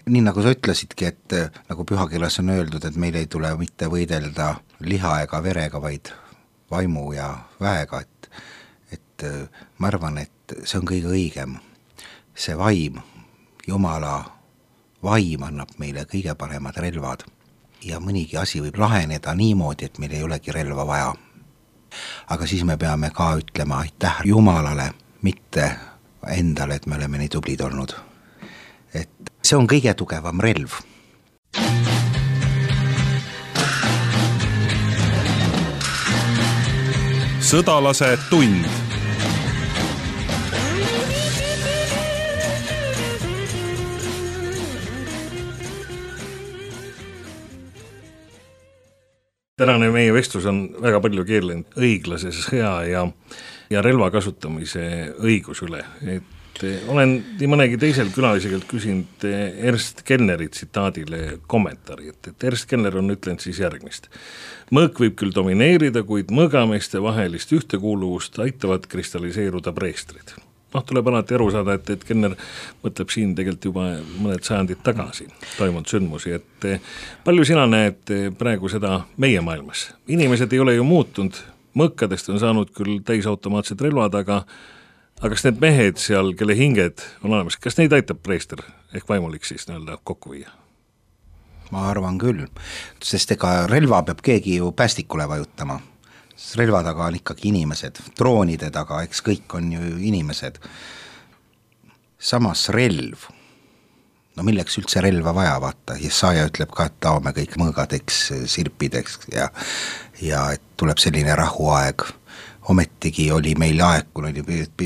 Nii nagu sa ütlesidki, et nagu pühakirjas on öeldud, et meil ei tule mitte võidelda liha ega verega, vaid vaimu ja väega, et ma arvan, et see on kõige õigem. See vaim, Jumala vaim annab meile kõige paremad relvad ja mõnigi asi võib laheneda niimoodi, et meil ei olegi relva vaja. Aga siis me peame ka ütlema aitäh Jumalale, mitte endale, et me oleme nii tublid olnud. Et see on kõige tugevam relv. Sõdalase tund. Tänane meie vestlus on väga palju keerlenud õiglase sõja ja relva kasutamise õigus üle. Olen nii mõnegi teisel külaliselt küsinud Ernst Kellneri tsitaadile kommentaari, et Ernst Kellner on ütlenud siis järgmist. Mõõk võib küll domineerida, kuid mõõgameeste vahelist ühtekuuluvust aitavad kristalliseeruda preestrid. Tuleb alati aru saada, et Kellner mõtleb siin tegelikult juba mõned sajandid tagasi toimunud sündmusi, et palju sina näed praegu seda meie maailmas? Inimesed ei ole ju muutunud, mõõkadest on saanud küll täisautomaatsed relvad, aga kas need mehed seal, kelle hinged on olemas, kas neid aitab preester ehk vaimulik siis kokku viia? Ma arvan küll, sest ega relva peab keegi ju päästikule vajutama. Relva taga on ikkagi inimesed, droonide taga, eks kõik on ju inimesed. Samas relv, milleks üldse relva vaja vaata, Jesaja ütleb ka, et taome kõik mõõgadeks, sirpideks ja et tuleb selline rahuaeg. Ometigi oli meil aeg,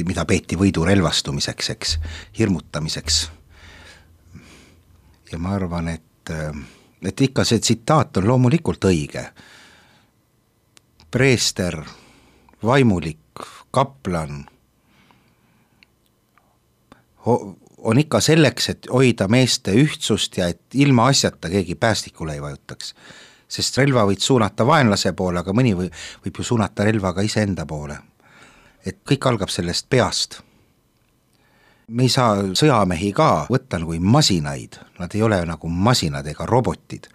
mida peeti võidu relvastumiseks, eks, hirmutamiseks. Ja ma arvan, et ikka see tsitaat on loomulikult õige. Preester, vaimulik, kaplan on ikka selleks, et hoida meeste ühtsust ja et ilma asjata keegi päästikule ei vajutaks. sest relva võid suunata vaenlase poole, aga mõni võib ju suunata relva ka iseenda poole. Et kõik algab sellest peast. Me ei saa sõjamehi ka võtta nagu masinaid, nad ei ole nagu masinad ega robotid.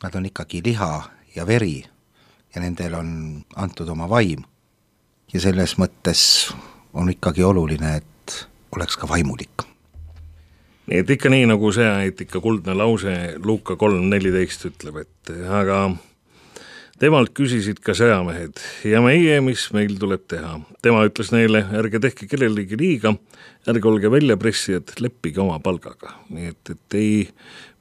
Nad on ikkagi liha ja veri ja nendel on antud oma vaim. Ja selles mõttes on ikkagi oluline, et oleks ka vaimulik. Nii et ikka nii, nagu see eetika kuldne lause Luuka 3.14 ütleb, et aga temalt küsisid ka sõjamehed ja meie, mis meil tuleb teha. Tema ütles neile, ärge tehke kellelegi liiga, ärge olge väljapressijad, leppige oma palgaga. Nii et ei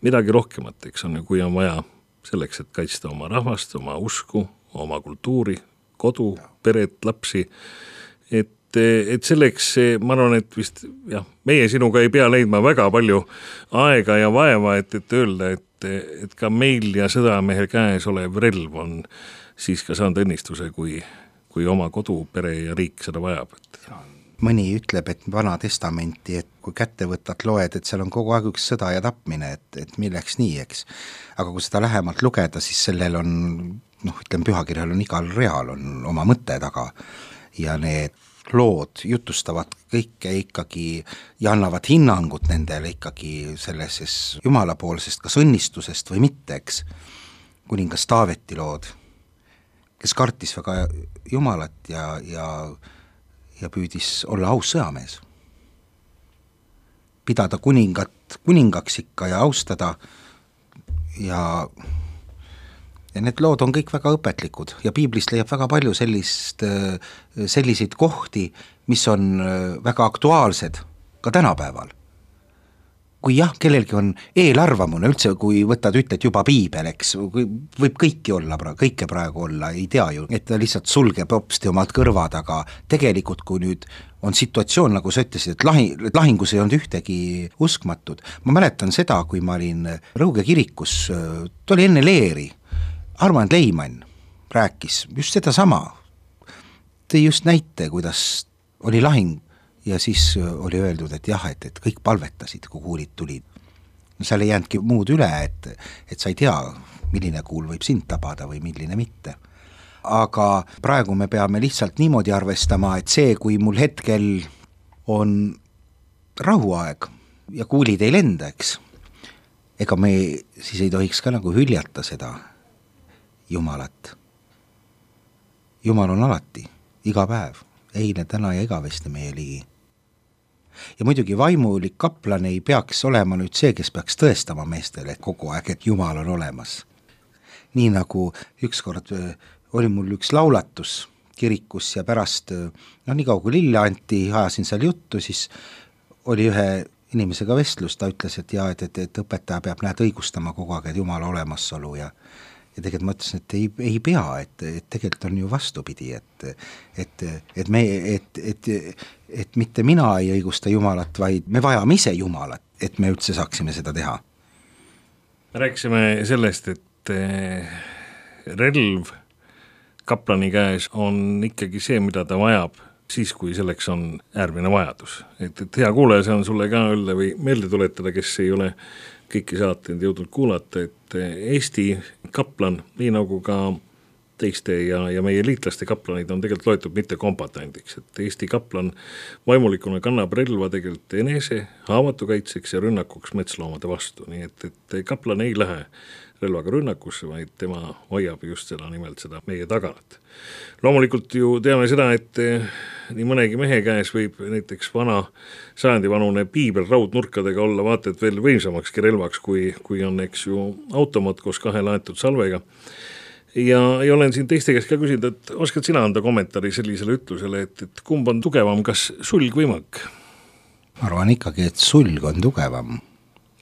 midagi rohkemat, eks on ju, kui on vaja selleks, et kaitsta oma rahvast, oma usku, oma kultuuri, kodu, peret, lapsi, et selleks, ma arvan, et vist jah, meie sinuga ei pea leidma väga palju aega ja vaeva, et öelda, et ka meil ja sõdamehe käes olev relv on siis ka saanud õnnistuse, kui oma kodu, pere ja riik seda vajab. Mõni ütleb, et Vana Testamenti, et kui kätte võtad, loed, et seal on kogu aeg üks sõda ja tapmine, et milleks nii, eks. Aga kui seda lähemalt lugeda, siis sellel on, ütleme, pühakirjal on igal real on oma mõte taga ja need lood jutustavad kõike ikkagi ja annavad hinnangut nendele ikkagi selles jumalapoolsest kas õnnistusest või mitte, eks. Kuningas Taaveti lood, kes kartis väga Jumalat ja püüdis olla aus sõjamees. Pidada kuningaks ikka ja austada ja need lood on kõik väga õpetlikud ja piiblist leiab väga palju selliseid kohti, mis on väga aktuaalsed ka tänapäeval. Kui jah, kellelgi on eelarvamune üldse, kui võtad ütled juba piibel, eks, võib kõike praegu olla, ei tea ju, et ta lihtsalt sulgeb hopsti omad kõrvad, aga tegelikult kui nüüd on situatsioon, nagu sa ütlesid, et lahingus ei olnud ühtegi uskmatud. Ma mäletan seda, kui ma olin Rõuge kirikus, ta oli enne leeri, Armand Leimann rääkis just seda sama. Tõi just näite, kuidas oli lahing ja siis oli öeldud, et jah, et kõik palvetasid, kui kuulid tulid. No seal ei jäänudki muud üle, et sa ei tea, milline kuul võib sind tabada või milline mitte. Aga praegu me peame lihtsalt niimoodi arvestama, et see, kui mul hetkel on rahuaeg ja kuulid ei lenda, eks, ega me siis ei tohiks ka nagu hüljata seda Jumalat. Jumal on alati, iga päev, eile, täna ja igavesti meie ligi. Ja muidugi vaimulik kaplan ei peaks olema nüüd see, kes peaks tõestama meestele kogu aeg, et Jumal on olemas. Nii nagu ükskord oli mul üks laulatus kirikus ja pärast, nii kaua kui lille anti, ajasin seal juttu, siis oli ühe inimesega vestlus, ta ütles, et õpetaja peab õigustama kogu aeg, et Jumala olemasolu ja tegelikult ma ütlesin, et ei pea, et tegelikult on ju vastupidi, et mitte mina ei õigusta Jumalat, vaid me vajame ise Jumalat, et me üldse saaksime seda teha. Rääkisime sellest, et relv kaplani käes on ikkagi see, mida ta vajab siis, kui selleks on äärmine vajadus. Et hea kuulaja, see on sulle ka öelda või meelde tuletada, kes ei ole kõiki saateid jõudnud kuulata, et Eesti kaplan, nii nagu ka teiste ja meie liitlaste kaplanid on tegelikult loetud mitte kombatandiks, et Eesti kaplan vaimulikuna kannab relva tegelikult enese haavatukaitseks ja rünnakuks metsloomade vastu, nii et kaplan ei lähe relvaga rünnakusse, vaid tema hoiab just seda nimelt seda meie tagalat. Loomulikult ju teame seda, et nii mõnegi mehe käes võib näiteks vana sajandivanune piibel raudnurkadega olla vaata, et veel võimsamakski relvaks, kui on eks ju automaat koos 2 laetud salvega. Ja olen siin teiste käest ka küsinud, et oskad sina anda kommentaari sellisele ütlusele, et kumb on tugevam, kas sulg või mõõk? Ma arvan ikkagi, et sulg on tugevam.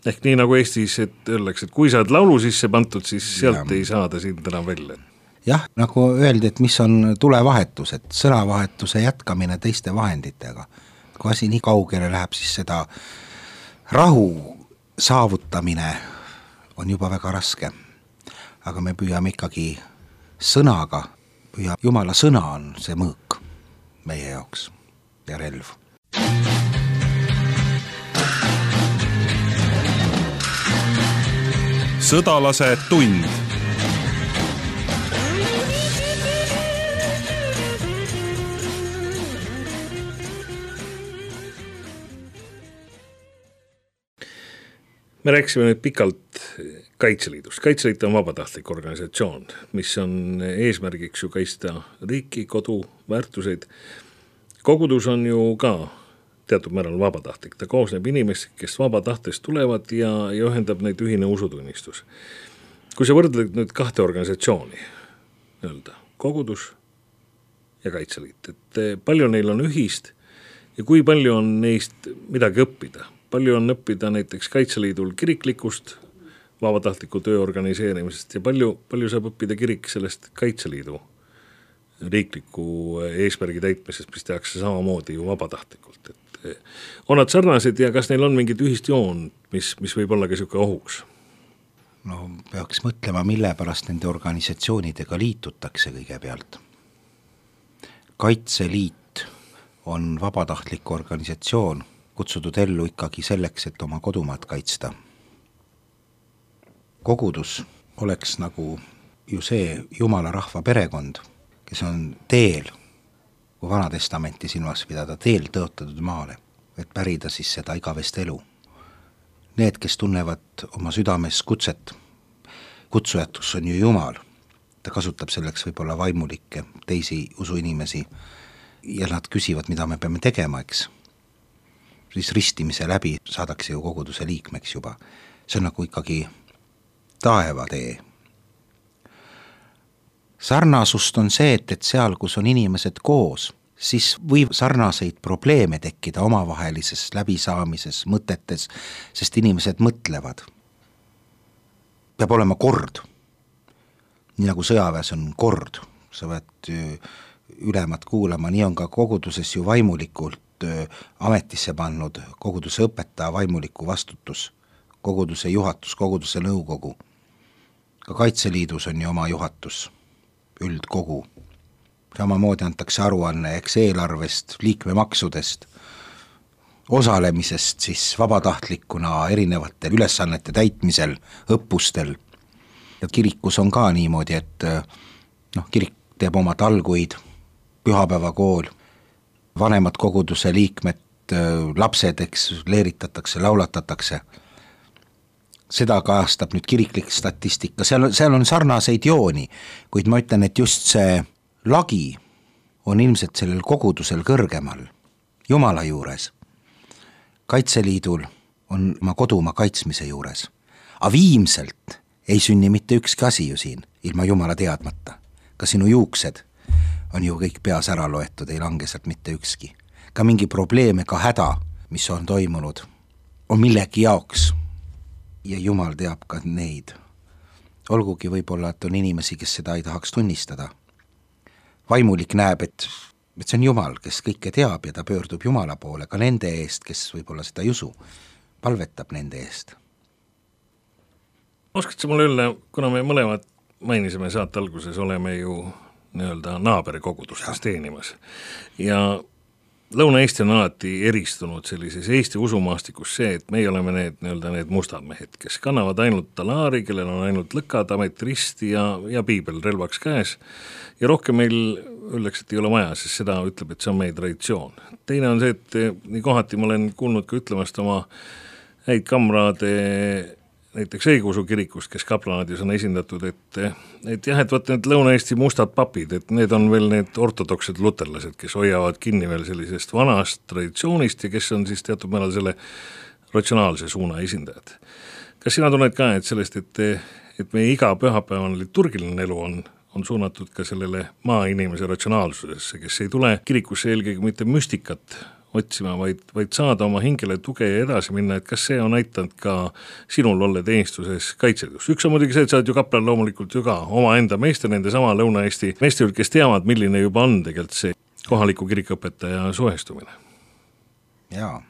Ehk nii nagu Eestis, et öeldakse, et kui sa oled laulu sisse pantud, siis sealt ei saada sind enam välja. Jah, nagu öeldi, et mis on tulevahetus, et sõnavahetuse jätkamine teiste vahenditega. Kui asi nii kaugele läheb, siis seda rahu saavutamine on juba väga raske. Aga me püüame ikkagi sõnaga, Jumala sõna on see mõõk meie jaoks ja relv. Sõdalase tund. Me rääkisime nüüd pikalt Kaitseliidust. Kaitseliit on vabatahtlik organisatsioon, mis on eesmärgiks ju kaitsta riiki, kodu, väärtuseid. Kogudus on ju ka teatud määral vabatahtlik. Ta koosneb inimest, kes vabatahtest tulevad ja ühendab neid ühine usutunnistus. Kui sa võrdled nüüd kahte organisatsiooni, kogudus ja Kaitseliit, et palju neil on ühist ja kui palju on neist midagi õppida. Palju on õppida näiteks Kaitseliidul kiriklikust vabatahtliku töö organiseerimisest ja palju saab õppida kirik sellest Kaitseliidu riikliku eesmärgi täitmisest, mis tehakse samamoodi ju vabatahtlikult. Et on nad sarnased ja kas neil on mingid ühist joon, mis võib olla ka siuke ohuks? No peaks mõtlema, mille pärast nende organisatsioonidega liitutakse kõigepealt. Kaitseliit on vabatahtlik organisatsioon, kutsutud ellu ikkagi selleks, et oma kodumaad kaitsta. Kogudus oleks nagu ju see Jumala rahva perekond, kes on teel, kui Vanatestamenti silmas pidada, teel tõotatud maale, et pärida siis seda igavest elu. Need, kes tunnevad oma südames kutset, kutsujatus on ju Jumal, ta kasutab selleks võib-olla vaimulikke, teisi usuinimesi ja nad küsivad, mida me peame tegema, eks. Siis ristimise läbi saadakse ju koguduse liikmeks juba. See on nagu ikkagi taevatee. Sarnasust on see, et seal, kus on inimesed koos, siis võib sarnaseid probleeme tekkida omavahelises läbisaamises, mõtetes, sest inimesed mõtlevad. Peab olema kord. Nii nagu sõjaväes on kord, sa pead ülemad kuulama, nii on ka koguduses ju vaimulikult ametisse pannud koguduse õpetaja vaimuliku vastutus, koguduse juhatus, koguduse nõukogu. Ka Kaitseliidus on ju oma juhatus, üldkogu. Samamoodi antakse aruanne eks eelarvest, liikmemaksudest, osalemisest siis vabatahtlikuna erinevatel ülesannete täitmisel, õppustel. Ja kirikus on ka niimoodi, et kirik teeb oma talguid, pühapäevakool, vanemad koguduse liikmed, lapsed, eks, leeritatakse, laulatatakse. Seda kajastab nüüd kiriklik statistika, seal on sarnaseid jooni, kuid ma ütlen, et just see lagi on ilmselt sellel kogudusel kõrgemal, Jumala juures. Kaitseliidul on oma kodumaa kaitsmise juures. A viimselt ei sünni mitte ükski asi ju siin, ilma Jumala teadmata. Ka sinu juuksed on ju kõik peas ära loetud, ei lange sealt mitte ükski. Ka mingi probleeme, ka häda, mis on toimunud, on millegi jaoks. Ja Jumal teab ka neid. Olgugi võib-olla, et on inimesi, kes seda ei tahaks tunnistada. Vaimulik näeb, et see on Jumal, kes kõike teab ja ta pöördub Jumala poole, ka nende eest, kes võib-olla seda ei usu, palvetab nende eest. Oskad sa mulle öelda, kuna me mõlemad mainisime saate alguses, oleme ju naaberikogudustes teenimas ja Lõuna-Eesti on alati eristunud sellises Eesti usumaastikus see, et meie oleme need mustad mehed, kes kannavad ainult talaari, kellel on ainult lõkad, ametristi ja piibel relvaks käes ja rohkem meil öeldakse, et ei ole vaja, sest seda ütleb, et see on meie traditsioon. Teine on see, et nii kohati ma olen kuulnud ka ütlemast oma häid kamraade näiteks õigeusu kirikust, kes kaplanaadis on esindatud, et jah, et võtta need Lõuna-Eesti mustad papid, et need on veel need ortodoksed luterlased, kes hoiavad kinni veel sellisest vanast traditsioonist ja kes on siis teatud määral selle ratsionaalse suuna esindajad. Kas sina tunned ka, et sellest, et meie iga pühapäevane liturgiline elu on suunatud ka sellele maainimese ratsionaalsusesse, kes ei tule kirikusse eelkõige mitte müstikat otsima, vaid saada oma hingele tuge ja edasi minna, et kas see on aitanud ka sinul olla teenistuses Kaitseliidus. Üks on muidugi see, et sa oled ju kaplan loomulikult ju ka oma enda meeste, nende sama Lõuna-Eesti meeste, kes teavad, milline juba on tegelikult see kohaliku kirikõpetaja suhestumine. Jaa,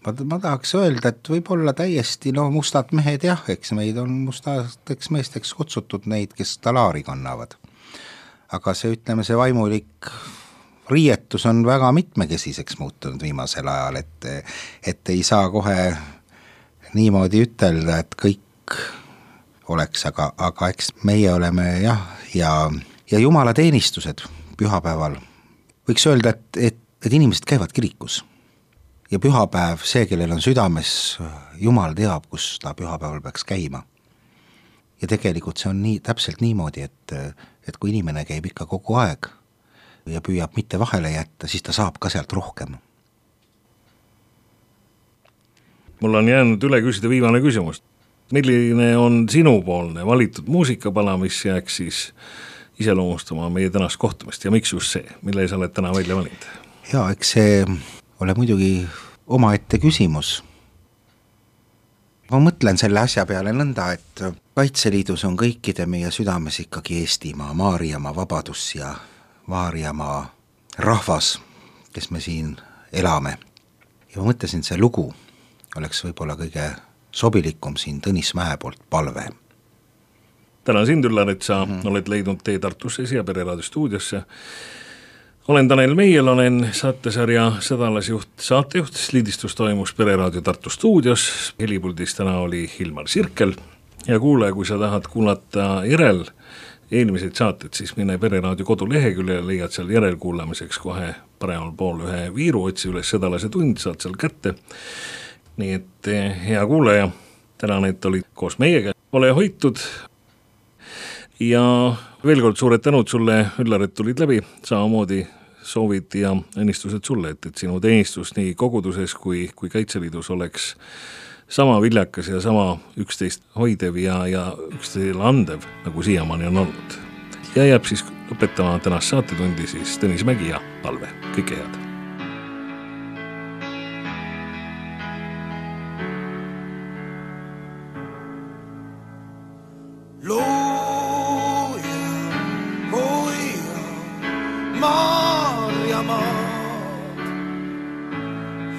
ma tahaks öelda, et võib-olla täiesti mustad mehed jah, eks meid on mustadeks meesteks kutsutud neid, kes talaari kannavad. Aga see, ütleme, see vaimulik riietus on väga mitmekesiseks muutunud viimasel ajal, et ei saa kohe niimoodi ütelda, et kõik oleks, aga eks meie oleme jah, ja Jumala teenistused pühapäeval. Võiks öelda, et inimesed käivad kirikus ja pühapäev, see, kellel on südames, Jumal teab, kus ta pühapäeval peaks käima. Ja tegelikult see on täpselt niimoodi, et kui inimene käib ikka kogu aeg ja püüab mitte vahele jätta, siis ta saab ka sealt rohkem. Mul on jäänud üle küsida viimane küsimus. Milline on sinupoolne valitud muusikapala, mis jääks siis iseloomustama meie tänast kohtumist ja miks just see, mille sa oled täna välja valinud? Jaa, eks see ole muidugi omaette küsimus. Ma mõtlen selle asja peale nõnda, et Kaitseliidus on kõikide meie südames ikkagi Eestimaa, Maarjamaa vabadus ja Maarjamaa rahvas, kes me siin elame. Ja ma mõtlesin, see lugu oleks võib-olla kõige sobilikum siin Tõnis Mäe poolt Palve. Tänan sind, Üllar, et sa oled leidnud tee Tartusse siia Pereraadio stuudiosse. Olen Tanel Meiel, olen saatesarja Sõdalasjuht, saatejuht. Lindistus toimus Pereraadio Tartu stuudios. Helipuldis täna oli Hilmar Sirkel. Ja kuule, kui sa tahad kuulata järel eelmised saated, siis mine Pereraadio kodulehekülje ja leiad seal järelkuulamiseks kohe paremal pool ühe viiru, otsi üles Sõdalase tund, saad seal kätte. Nii et hea kuulaja, tänan, et olid koos meiega. Ole hoitud. Ja veel kord suured tänud sulle, Üllar, et tulid läbi, samamoodi soovid ja õnnistused sulle, et sinu teenistus nii koguduses kui Kaitseliidus oleks sama viljakas ja sama üksteist hoidev ja üksteisele andev, nagu siiamaani on olnud. Ja jääb siis lõpetama tänast saatetundi siis Tõnis Mägi ja Palve. Kõike head!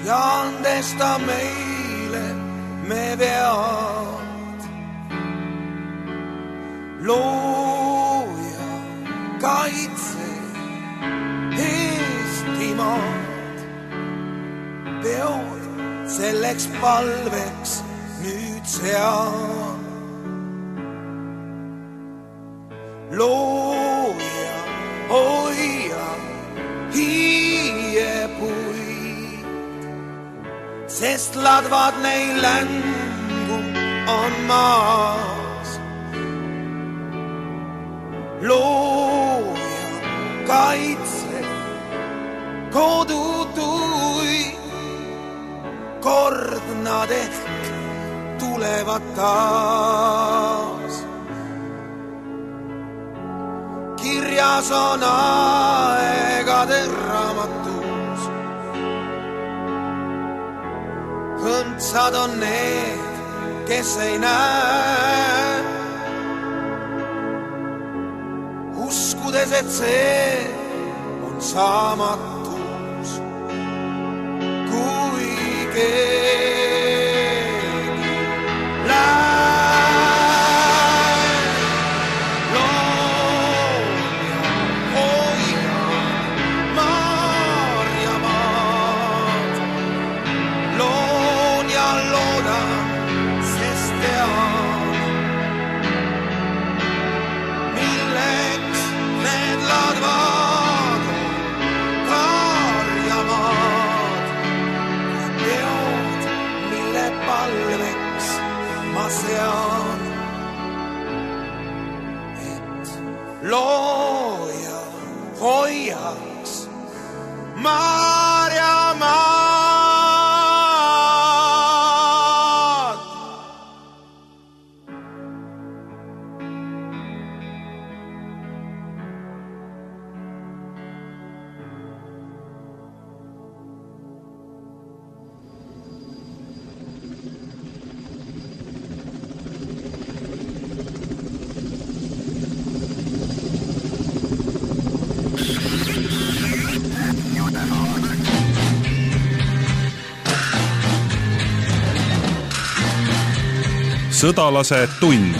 Ja andesta meile me vead. Looja, kaitse Eestimaad. Peod selleks palveks nüüd sean. Looja, hoia, hiiepuid. Sest ladvad neil längu on maas. Looja, kaitse, kodutuid. Kord nad ehk tulevad taas. Kirjas on aegade raamatus. Õndsad on need, kes ei näe. Uskudes, et see on saamatus. Kui keegi läheb. Sean, et looja hoiaks Maarjamaad. Sõdalase tund